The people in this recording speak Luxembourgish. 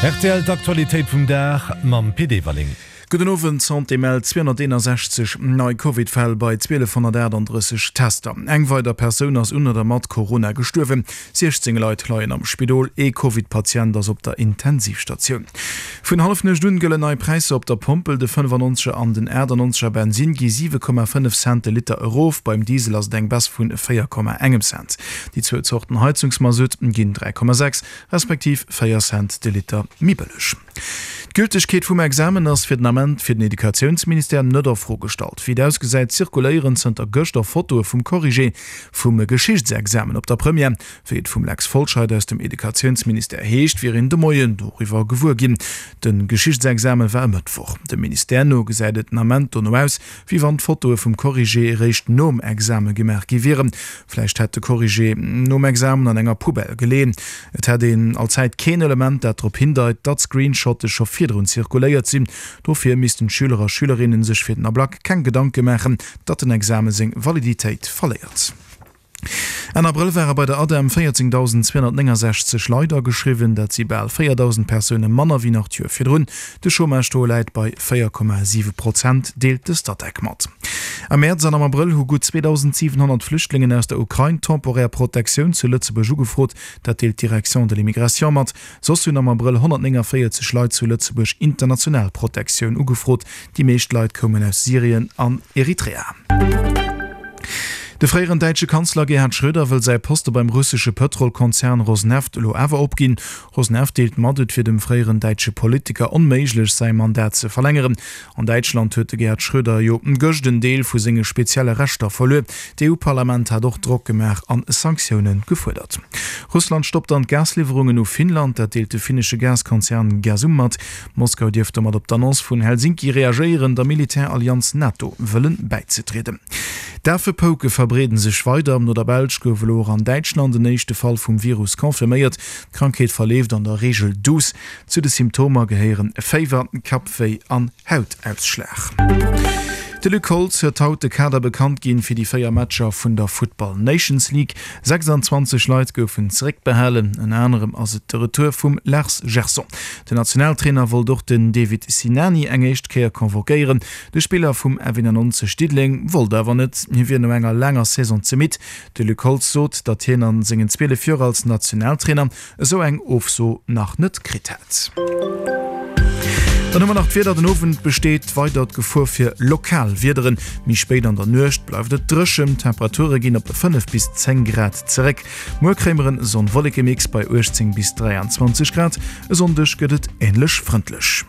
Rtl, D'Aktualitéit vum Dag mam Pit Everling. Gudden Owend, D'Santé mellt 261 nei Covid-Fäll bei 1.238 Tester. Eng weider Persoun ass un oder mat Corona gestuerwen. 16 Leit leien am Spidol, ee Covid-Patient ass op der Intensivstatioun. Vun Hallefnuecht un gëllen nei Präisser op der Pompel, De 95er an den 98er Bensinn gi 7,5 Cent de Liter erof, beim Diesel ass et eng Baisse vun 4,1 Cent. Déi zwou Zorten Heizungsmasutt ginn 3,6 respektiv 4 Cent de Liter méi bëlleg. D'Gültegkeet vum Examen ass fir den Ament fir den Educatiounsministère net a Fro gestallt. Wéi et ausgesäit, zirkuléieren zënter gëschter Fotoe vum Corrigé vum Geschichtsexamen op der Première. Wéi et vum Lex Folscheid aus dem Educatiounsministère heescht, wier een de Moien doriwwer gewuer ginn. De Geschichtsexame war e Mëttwoch. Dem Ministère no gesäit et den Ament dono aus, wéi wann d'Fotoe vum Corrigé eréischt nom Exame gemaach gi wieren. Vläicht hätt de Corrigé nom Examen an enger Poubelle geleeën. Et hätt een allzäit keen Element, dat drop hindeit, datt Screenshotte scho virdrun zirkuléiert sinn. Dofir missten d'Schüler a Schülerinnen sech fir den Ablack keng Gedanke maachen, datt den Exame seng Validitéit verléiert. Enn Abrëll ware bei der ADEM 14.269 Leit ageschriwwen, dat si bal 4.000 Persoune manner wéi nach d'Joer virdrun. De Chômage-Taux läit bei 4,7 Prozent, deelt de Statec mat. Am Mäerz an am Abrëll hu gutt 2.700 Flüchtlingen aus der Ukrain temporär Protektioun zu Lëtzebuerg ugefrot. Dat deelt d'Direction de l'immigration mat. Soss hunn am Abrëll 149 Leit zu Lëtzebuerg international Protektioun ugefrot. Déi meescht Leit koumen aus Syrien an Eritrea. De fréieren däitsche Kanzler Gerhard Schröder wëll säi Poste beim russesche Pëtrolkonzern Rosneft elo awer opginn. Rosneft deelt mat, et wier dem fréieren däitsche Politiker onméiglech, säi Mandat ze verlängeren. An Däitschland huet de Gerhard Schröder jo gëscht en Deel vu senge spezielle Rechter verluer. D'EU-Parlament hat och Drock gemaach an Sanktioune gefuerdert. Russland stoppt dann d'Gasliwwerungen u Finnland, dat deelt de finnesche Gaskonzern Gasum mat. Moskau dierft domat op d'Annonce vun Helsinki reagéieren, der Militärallianz NATO wëllen bäizetrieden. D'Afepouke verbreeden sech weider. No der Belsch gouf elo och an Däitschland en éischte Fall vum Virus confirméiert. D'Krankheet verleeft an der Reegel duuss. Zu de Symptomer gehéieren Féiwer, Kappwéi an Hautausschlag. De Luc Holtz huet haut de Kader bekannt ginn fir déi 4 Matcher vun der Futtball Nations League. 26 Leit goufen zeréckbehalen, ënner anerem ass et de Retour vum Lars Gerson. Den Nationaltrainer wollt och den David Sinani eng éischt Kéier convoquéieren. De Spiller vum F91 Diddeleng wollt awer net, hie wier no enger laanger Saison ze midd. De Luc Holtz sot, datt hien a sengen 12 Joer als Nationaltrainer esou eng Ofso nach net kritt hätt. Dann hu mer nach d'Wieder, Den Owend besteet weider d'Gefor fir lokal Wiederen. Méi spéit an der Nuecht bleift et dréchen, d'Temperature ginn op 5 bis 10 Grad zeréck. Muer kréie mer en Sonn-Wolleke-Mix bei 18 bis 23 Grad. E Sonndeg gëtt et änlech frëndlech.